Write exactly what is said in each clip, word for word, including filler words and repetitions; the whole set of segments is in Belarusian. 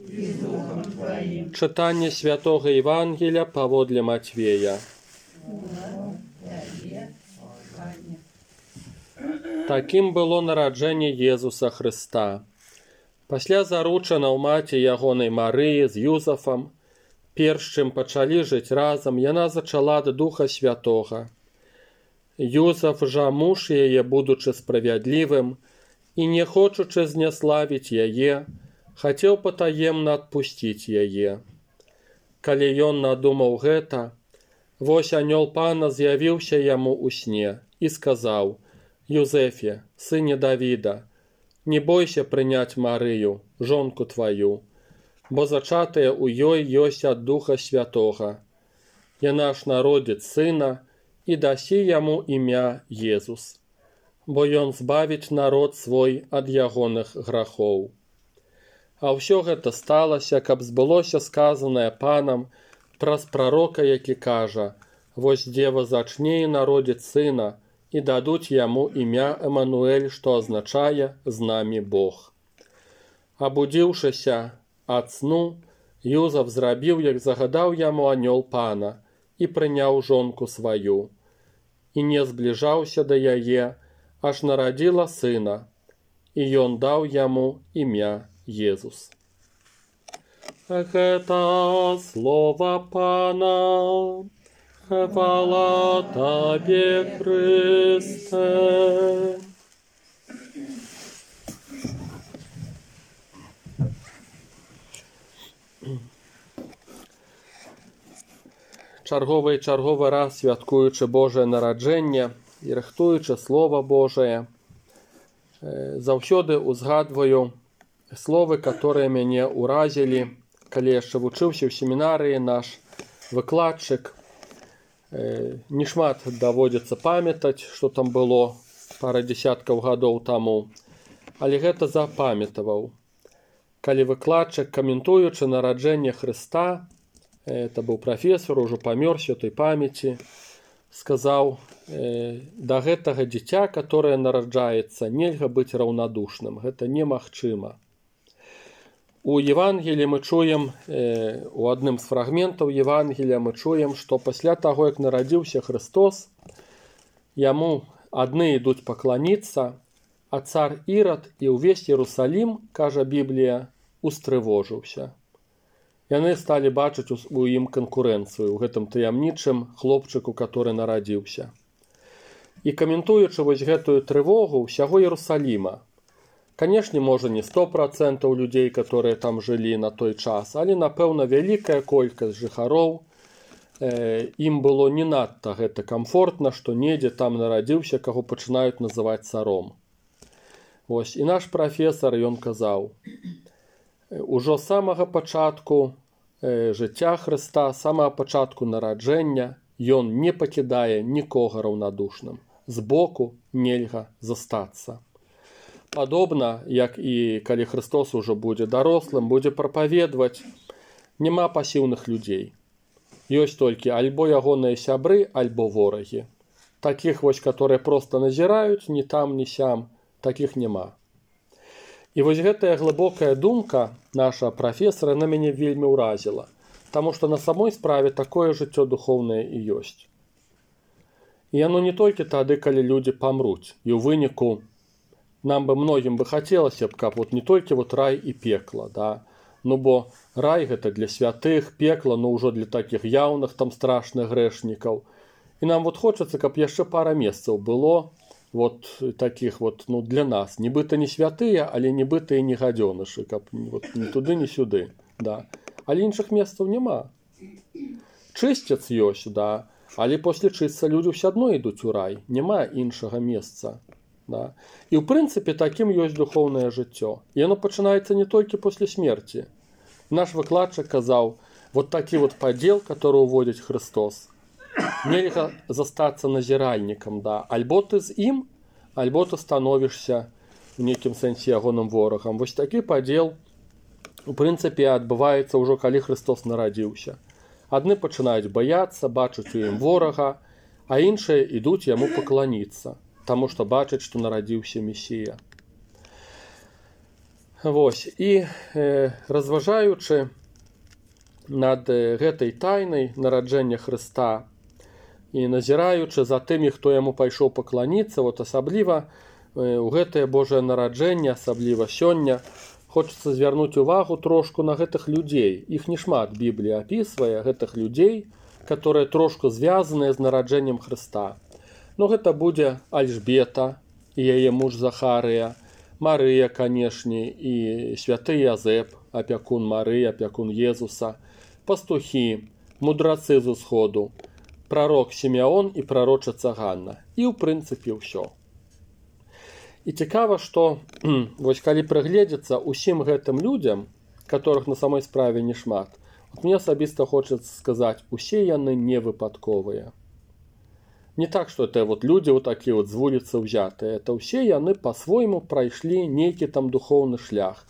і з Духом Твоїм. Читання Святого Євангелія паводле Матвея. Таким было нараджэнне Езуса Хрыста. Пасля заручана ў маці ягонай Марыі з Юзафам, перш чым пачалі жыць разам, яна зачала ад Духа Святога. Юзаф жа муж яе, будучы справядлівым і не хочучы зняславіць яе, хацеў патаемна адпусціць яе. Калі ён надумаў гэта, вось анёл Пана з'явіўся яму ў сне і сказаў: «Юзефе, сыне Давіда, не бойся прыняць Марыю, жонку тваю, бо зачатае ў ёй ёсць ад Духа Святога. Яна ж народзіць сына і дасі яму імя Езус, бо ён збавіць народ свой ад ягоных грахоў». А ўсё гэта сталася, каб збылося сказанае Панам праз прарока, які кажа: «Вось дзева зачне і народзіць сына, і дадуць яму імя Эмануэль, што азначае «з намі Бог». Абудзіўшыся ад сну, Юзаф зрабіў, як загадаў яму анёл Пана, і прыняў жонку сваю, і не збліжаўся да яе, аж нарадзіла сына, і ён даў яму імя Езус. Гэта слова Пана. Хвала Табе, Христе. Чарговы і чарговы раз святкуючы Божае нараджэнне і рыхтуючы Слова Божае, заўсёды узгадваю словы, которые мяне ўразілі, калі яшчэ вучыўся ў семінарыі. Наш выкладчык, не шмат даводзіцца памятаць, што там было пара дзесяткаў гадоў таму, але гэта запамятаваў. Калі выкладчык, каментуючы нараджэнне Хрыста, это быў прафесор, ужо памёр святой памяці, сказаў: да гэтага дзіця, которое нараджаецца, нельга быць раўнадушным, гэта немагчыма. У Евангеліі мы чуем, у адным з фрагментаў Евангелія мы чуем, што пасля таго, як нарадзіўся Христос, яму адны ідуць пакланіцца, а цар Ірад і ўвесь Іерусалім, кажа Біблія, устрывожыўся. Яны сталі бачыць у ім канкурэнцыю, у гэтым таямнічым хлопчыку, который нарадзіўся. І каментуючы вось гэтую трывогу ўсяго Іерусаліма, канешне, можа, не сто процентаў людзей, которые там жылі на той час, але, напэўна, вялікая колькасць жыхароў, э, ім было не надта гэта камфортна, што недзе там нарадзіўся, каго пачынаюць называць царом. Вось, і наш прафесар, ён казаў: ужо з самага пачатку э, жыцця Хрыста, з самага пачатку нараджэння, ён не пакідае нікога раўнадушным. Збоку нельга застацца. Падобна, як і калі Христос ужо будзе дарослым, будзе прапаведваць, няма пасіўных людзей. Ёсць толькі альбо ягоныя сябры, альбо ворагі. Такіх вось, которые проста назіраюць, ні там, ні сям, такіх няма. І вось гэтая глыбокая думка наша прафесара на мяне вельмі ўразіла, таму што на самой справе такое жыццё духоўнае і ёсць. І яно не толькі тады, калі людзі памруць, і ў выніку нам бы многім бы хацелася б, каб вот не толькі вот рай і пекла, да? Ну бо рай гэта для святых, пекла, ну ўжо для такіх яўных там страшных грэшнікаў. І нам вот хочацца, каб яшчэ пара месцаў было вот такіх вот, ну, для нас. Нібыта не святыя, але нібыта і не гадзёнышы, каб вот, ні туды, ні сюды, да? Але іншых месцаў няма. Чысцяц ёсць, да? Але после чысця людзі ўсё адно ідуць у рай, няма іншага месца. Да? І ў прынцыпе такім ёсць духоўнае жыццё. І яно пачынаецца не толькі пасля смерці. Наш выкладчык казаў, вот такі вот падзел, который уводзіць Христос. Нельга застацца назіральнікам, да? Альбо ты з ім, альбо ты становішся в нейкім сэнсе ягоным ворагам. Вось такі падзел у прынцыпе адбываецца ўжо калі Христос нарадзіўся. Адны пачынаюць баяцца, бачаць у ім ворага, а іншыя ідуць яму пакланіцца, таму што бачаць, што нарадзіўся Месія. Вось, і э, разважаючы над гэтай тайнай нараджэння Хрыста і назіраючы за тымі, хто яму пайшоў пакланіцца, вот асабліва э, у гэтае Божае нараджэнне, асабліва сёння, хочацца звярнуць увагу трошку на гэтых людзей. Іх не шмат Біблія апісвае, гэтых людзей, которые трошку звязаныя з нараджэннем Хрыста. Ну, гэта будзе Альжбета і яе муж Захарыя, Марыя, канешне, і святы Язэп, апякун Марыі, апякун Езуса, пастухі, мудрацы з усходу, прарок Сімеон і прарочыца Ганна. І, ў прынцыпе, ўсё. І цікава, што вось калі прыгледзецца усім гэтым людзям, которых на самой справе не шмат, от мне асабіста хочацца сказаць, усе яны не выпадковыя. Не так, что это вот люди вот такие вот с вулицы взятые. Это все яны по-свойму прайшлі нейкі там духовны шлях.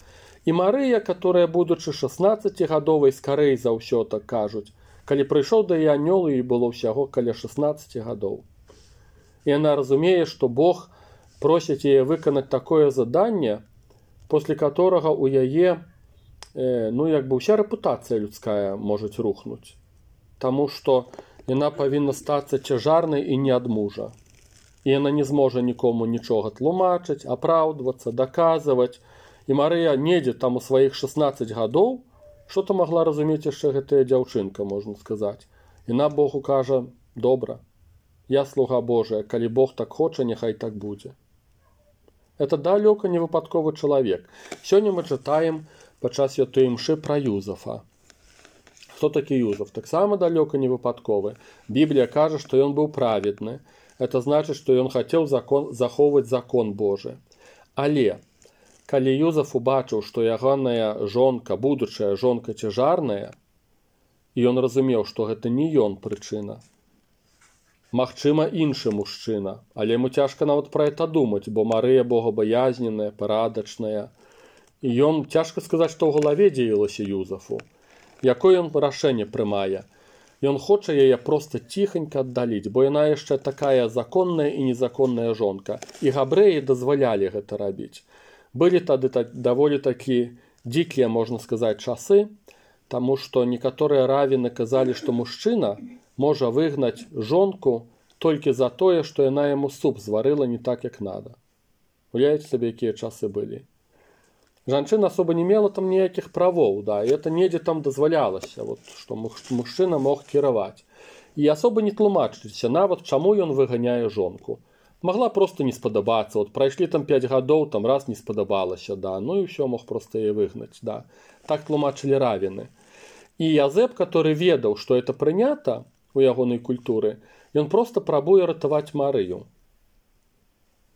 І Марыя, которая, будучы шаснаццацігадовай, скарэй за ўсё так кажуць, калі прыйшоў да яе анёл, і было ўсяго каля шаснаццаці гадоў. І яна разумее, што Бог просіць яе выканаць такое заданне, после которого у яе, э, ну, як бы ўся рэпутацыя людская можа рухнуць. Таму што яна павінна стацца цяжарнай і не ад мужа. І яна не зможа нікому нічога тлумачыць, апраўдвацца, даказваць. І Марыя недзе там у сваіх шаснаццаць гадоў, што-то магла разумець яшчэ гэтая дзяўчынка, можна сказаць. Яна Богу кажа, добра, я слуга Божая, калі Бог так хоча, няхай так будзе. Это далёка не выпадковы чалавек. Сёння мы чытаем падчас святой імшы пра Юзафа. Хто такі Юзаф? Таксама далёка не выпадковы. Біблія кажа, што ён быў праведны. Это значыць, што ён хацеў закон, захоўваць закон Божы. Але, калі Юзаф убачыў, што ягоная жонка, будучая жонка цяжарная, і ён разумеў, што гэта не ён прычына. Магчыма, іншы мужчына, але яму цяжка нават пра гэта думаць, бо Марыя богабаязненая, парадачная. І ён, цяжка сказаць, што ў галаве дзеялася Юзафу. Якое ён рашэнне прымае? Ён хоча яе проста ціханька аддаліць, бо яна яшчэ такая законная і незаконная жонка. І габрэі дазвалялі гэта рабіць. Былі тады даволі такі дзікія, можна сказаць, часы, таму што некаторыя равіны казалі, што мужчына можа выгнаць жонку толькі за тое, што яна яму суп зварыла не так, як надо. Уявіце сабе, якія часы былі. Жанчына особо не мела там ніякіх правоў, да, і это недзе там дазвалялася, вот, што мужчына мог кіраваць. І асоба не тлумачыцца, нават чаму ён выганяе жонку. Магла проста не спадабацца, вот прайшлі там пяць гадоў, там раз не спадабалася, да, ну і ўсё мог проста яе выгнаць, да. Так тлумачылі равіны. І Язэп, который ведаў, што это прынята у ягонай культуры, ён проста прабуе ратаваць Марыю.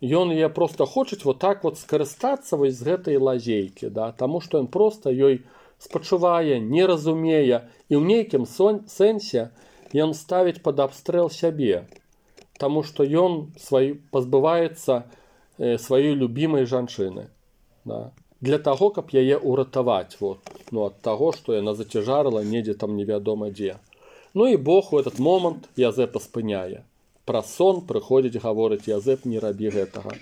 Ён яе проста хочуць вот так вот скарыстацца вось з гэтай лазейкі, да, таму што ён проста ёй спачувае, не разумее, і ў нейкім сэнсе ён ставіць пад абстрэл сябе, таму што ён свай, пазбываецца э, сваёй любімай жанчыны, да, для таго, каб яе ўратаваць, вот, ну, ад таго, што яна зацяжарыла недзе там невядома дзе. Ну і Бог у этот момант Язэпа спыняе. Пра сон прыходзіць гаворыць Язэп, не рабі гэтага.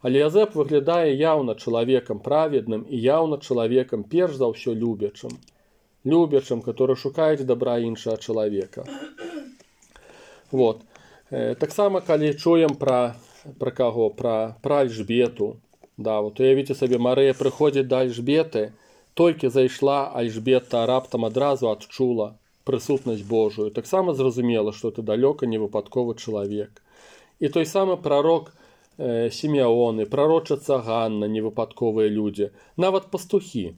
Але Язэп выглядае яўна чалавекам праведным і яўна чалавекам перш за ўсё любячым. Любячым, который шукаюць дабра іншага чалавека. Вот. Э, таксама, калі чуем пра, пра каго, пра, пра Альжбету, да, вот уявіце сабе, Марыя прыходзіць да Альжбеты, толькі зайшла Альжбета, раптам адразу адчула прысутнасць Божую. Таксама зразумела, што это далёка не выпадковы чалавек. І той самы прарок э, Сімеон, і прарочыца Ганна, невыпадковыя людзі, нават пастухі.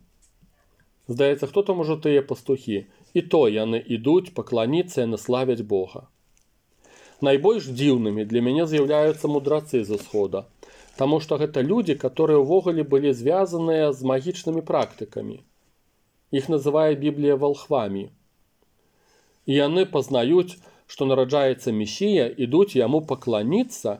Здаецца, хто там ужо тыя пастухі? І то яны ідуць пакланіцца і наславяць Бога. Найбольш дзіўнымі для мяне з'яўляюцца мудрацы з усхода, таму што гэта людзі, которые ўвогуле былі звязаныя з магічнымі практыкамі. Іх называе Біблія валхвамі. І яны пазнаюць, што нараджаецца Месія, ідуць яму пакланіцца,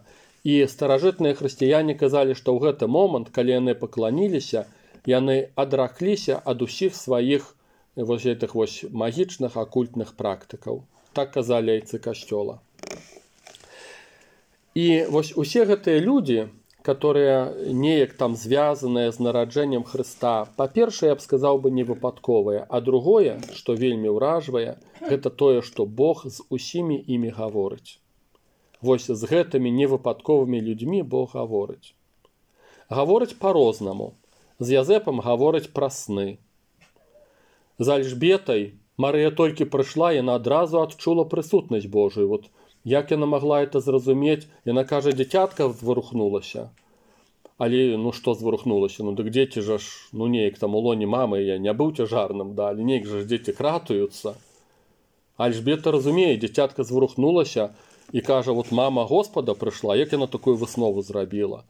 і старажытныя хрысціяне казалі, што ў гэты момант, калі яны пакланіліся, яны адракліся ад усіх сваіх вось гэтых вось магічных акультных практыкаў. Так казалі айцы касцёла. І вось усе гэтыя людзі, которые неяк там звязаныя з нараджэннем Хрыста, па-першае, я б сказаў бы, не выпадковыя, а другое, што вельмі ўражвае, гэта тое, што Бог з усімі імі гаворыць. Вось з гэтымі невыпадковымі людзьмі Бог гаворыць. Гаворыць па-рознаму. З Язэпам гаворыць пра сны. З Альжбетай Марыя толькі прыйшла, яна адразу адчула прысутнасць Божую. Вот як яна магла это зразумець? Яна кажа, дзіцятка зварухнулася. Але ну што зварухнулася? Ну дык дзеці жа ж, ну неяк там у лоне мамы, я не быў цяжарным, да, але неяк жа ж дзеці кратаюцца. Альжбета разумее, дзіцятка зварухнулася і кажа, вот мама Господа прыйшла, як яна такую выснову зрабіла?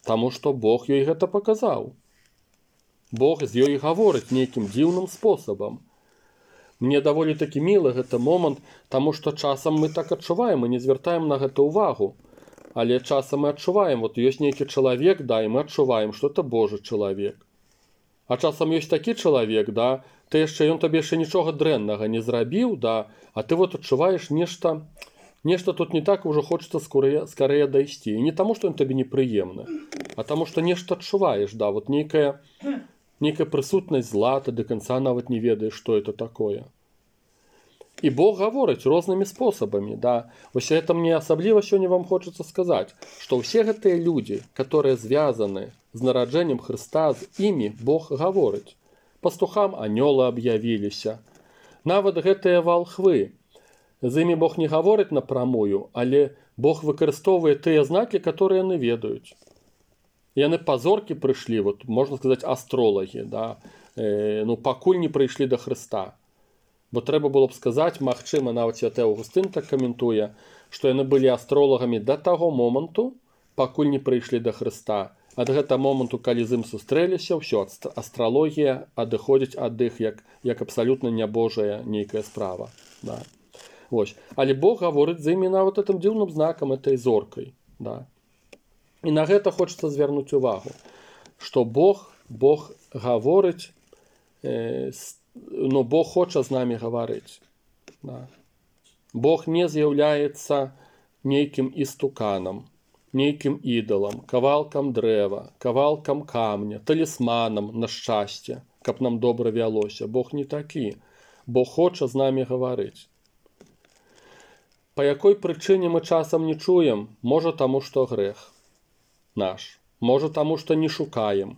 Таму што Бог ёй гэта паказаў. Бог з ёй гаворыць нейкім дзіўным спосабам. Мне даволі такі мілы гэты момант, таму што часам мы так адчуваем, мы не звяртаем на гэта ўвагу. Але часам мы адчуваем, вот ёсць нейкі чалавек, да, і мы адчуваем, што это Божы чалавек. А часам ёсць такі чалавек, да, ты яшчэ, ён табе яшчэ нічога дрэннага не зрабіў, да, а ты вот адчуваеш нешта, нешта тут не так, ужо хочацца скорее, скорее дайсці. І не таму, што ён табе непрыемны, а таму, што нешта адчуваеш, да, вот нейкая, нейкая прысутнасць зла, ты да канца нават не ведаеш, што это такое. І Бог гаворыць рознымі спосабамі, да. Вось гэта мне асабліва сёння вам хочацца сказаць, што ўсе гэтыя людзі, которые звязаны з нараджэннем Хрыста, з імі Бог гаворыць. Пастухам анёлы аб'явіліся. Нават гэтыя валхвы. З імі Бог не гаворыць напрамую, але Бог выкарыстоўвае тыя знакі, которые яны ведаюць. Яны пазоркі прыйшлі, вот, можна сказаць, астролагі, да, э, ну, пакуль не прыйшлі да Хрыста. Бо трэба было б сказаць, магчыма, нават святы Аўгустын так каментуе, што яны былі астролагамі да таго моманту, пакуль не прыйшлі да Хрыста. Ад гэтага моманту, калі з ім сустрэліся, ўсё, астралогія адыходзіць ад іх як, як абсалютна нябожая нейкая справа. Да. Вось. Але Бог гаворыць з імі нават гэтым дзіўным знакам, этой зоркай. Да. І на гэта хочацца звярнуць увагу, што Бог, Бог гаворыць, э, ну, Бог хоча з намі гаварыць. Да. Бог не з'яўляецца нейкім істуканам, нейкім ідалам, кавалкам дрэва, кавалкам камня, талісманам на шчасце, каб нам добра вялося. Бог не такі. Бог хоча з намі гаварыць. Па якой прычыне мы часам не чуем? Можа, таму, што грэх наш. Можа, таму, што не шукаем.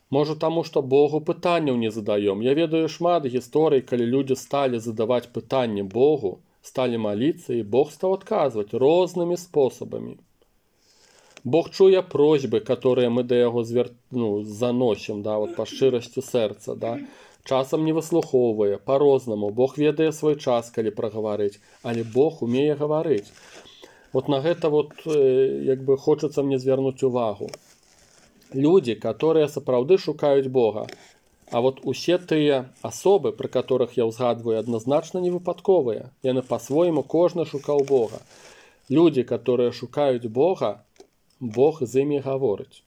Можа, таму, што Богу пытанняў не задаём. Я ведаю шмат гісторый, калі людзі сталі задаваць пытанні Богу, сталі маліцца, і Бог стаў адказваць рознымі спосабамі. Бог чуе просьбы, которые мы да яго звер... ну, заносім, да, вот, па шчырасці сэрца, да. Часам не выслухоўвае, па-рознаму. Бог ведае свой час, калі прагаварыць, але Бог умее гаварыць. Вот на гэта вот, э, як бы хочацца мне звярнуць увагу. Людзі, которые сапраўды шукаюць Бога, а вот усе тыя асобы, пры которых я ўзгадваю, адназначна не выпадковыя. Яны па-свойму кожны шукаў Бога. Людзі, которые шукаюць Бога, Бог з імі гаворыць.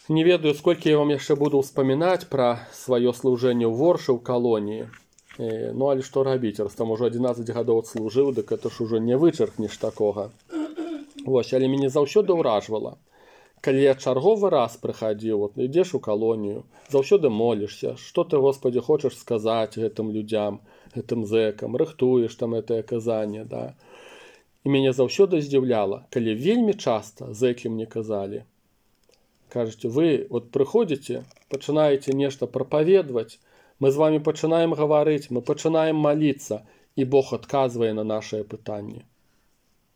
Не ведаю, сколькі я вам яшчэ буду ўспамінаць пра сваё служэнне ў воршы ў калоніі. Э, ну, але што рабіць, раз там ужо адзінаццаць гадоў служыў, дык это ж ужо не вычаркнеш такога. Вось, але мяне заўсёды ўражвала. Калі я чарговы раз прыхадзіў, вот, ідзеш у калонію, заўсёды молішся, што ты, Господі, хочаш сказаць гэтым людзям, гэтым зэкам, рыхтуеш там гэтае казанне, да. І мяне заўсёды здзіўляла, калі вельмі часта зэкі мне казалі, кажуць, вы вот прыходзіце, пачынаеце нешта прапаведваць, мы з вамі пачынаем гаварыць, мы пачынаем маліцца, і Бог адказвае на нашыя пытанні.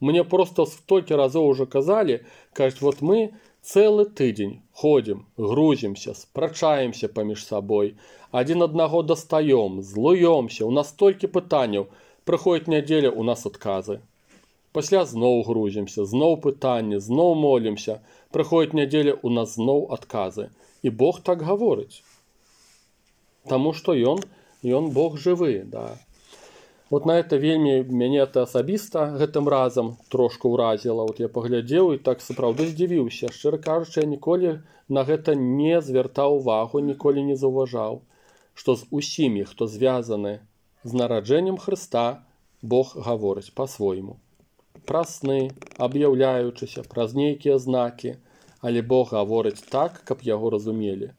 Мне просто столькі разоў ужо казалі, кажуць, вот мы цэлы тыдзень ходзім, грузімся, спрачаемся паміж сабой, адзін аднаго дастаём, злуёмся, у нас столькі пытанняў, прыходзіць нядзеля, у нас адказы. Пасля зноў грузімся, зноў пытанні, зноў молімся, прыходзіць нядзеля, у нас зноў адказы. І Бог так гаворыць. Таму што ён, ён Бог жывы, да. Вот на это вельмі мяне это асабіста гэтым разам трошку ўразіла. Вот я паглядзеў і так сапраўды здзівіўся. Шчыра кажучы, я ніколі на гэта не звяртаў увагу, ніколі не заўважаў, што з усімі, хто звязаны з нараджэннем Хрыста, Бог гаворыць па-свойму. праз сны, аб'яўляючыся, праз нейкія знакі, але Бог гаворыць так, каб яго разумелі.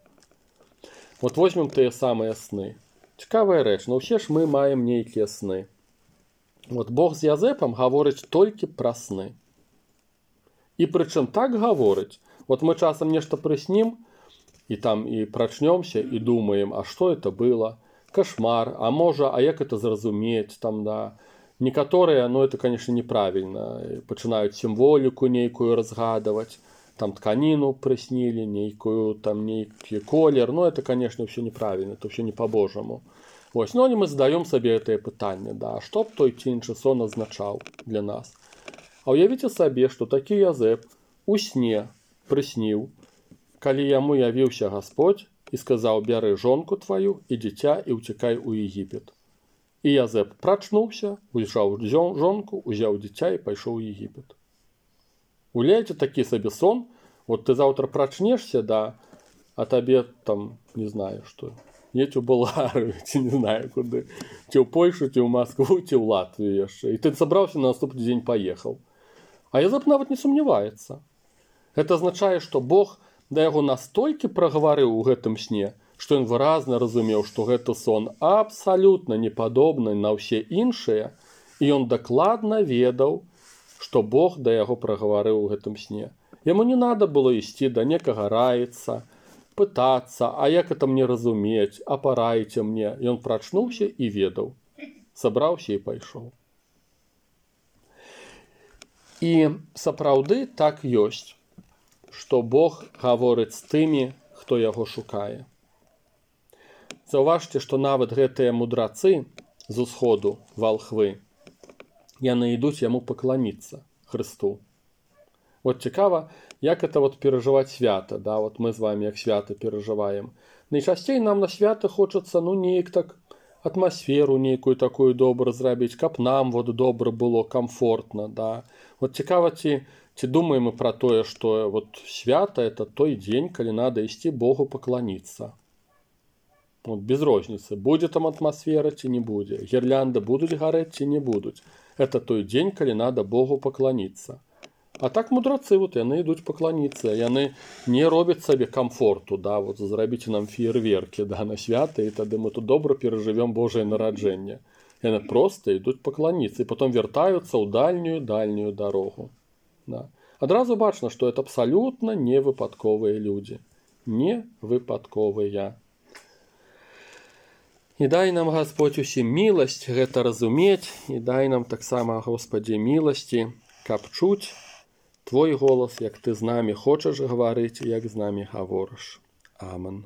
Вот возьмем тыя самыя сны. Цікавая рэч, но ўсе ж мы маем нейкія сны. Вот Бог з Язэпам гаворыць толькі пра сны. І прычым так гаворыць, вот мы часам нешта прыснім, і там і прачнёмся, і думаем, а што это было? Кошмар, а можа, а як это зразумець, там, да. Некаторыя, ну, это, конечно, неправільна, пачынаюць сімволіку нейкую разгадаваць, там тканіну прыснілі, нейкую, там, нейкі колер, ну, это, конечно, ўсё неправільна, это ўсё не по-божаму. Вось, ну, мы задаём сабе гэтае пытанне, да, што б той ці іншы сон азначаў для нас? А ўявіце сабе, што такі Язэп у сне прысніў, калі яму явіўся Гасподзь і сказаў: бяры жонку тваю і дзіця і ўцякай у Егіпет. І Язэп прачнуўся, узяў жонку, узяў дзіця і пайшоў у Егіпет. Уляйце такі сабе сон, вот ты заўтра прачнешся, да, а табе там, не знаю, што, едь у Балгарыю, ці не знаю куды, ці ў Польшу, ці ў Маскву, ці ў Латвію яшчэ. І ты сабраўся, на наступны дзень паехаў. А Язэп нават не сумняваецца. Гэта азначае, што Бог да яго настолькі прагаварыў у гэтым сне, што ён выразна разумеў, што гэты сон абсалютна не падобны на ўсе іншыя, і ён дакладна ведаў, што Бог да яго прагаварыў у гэтым сне. Яму не надо было ісці да некага раіцца, пытацца, а як это мне разумець, а параіце мне. Ён прачнуўся і ведаў. Сабраўся і пайшоў. І сапраўды так ёсць, што Бог гаворыць з тымі, хто яго шукае. Заўважце, што нават гэтыя мудрацы з усходу, валхвы, яны ідуць яму пакланіцца, Хрысту. Вот цікава, як это вот перажываць свята, да, вот мы з вами як свята перажываем. Найчасцей нам на свята хочацца, ну, неяк так атмасферу нейкую такую добру зрабіць, каб нам вот добра было, комфортна, да. Вот цікава, ці, ці думаем мы пра тое, што вот свята это той дзень, калі надо ісці Богу пакланіцца. Вот без розніцы, будзе там атмасфера ці не будзе, гірлянды будуць гарэць ці не будуць. Это той дзень, калі надо Богу пакланіцца. А так мудрацы, вот яны ідуць пакланіцца, яны не робяць сабе комфорту, да, вот зрабіце нам феерверкі, да, на свята, і тады мы тут добра перажывём Божае нараджэнне. Яны проста ідуць пакланіцца, і потом вяртаюцца ў дальнюю, дальнюю дарогу. Да. Адразу бачна, што это абсалютна невыпадковыя людзі. Невыпадковыя. І дай нам, Гасподзь, усім міласць гэта разумець, і дай нам таксама, Господі, міласці, каб чуць Твой голас, як ты з намі хочаш гаварыць, як з намі гаворыш. Амен.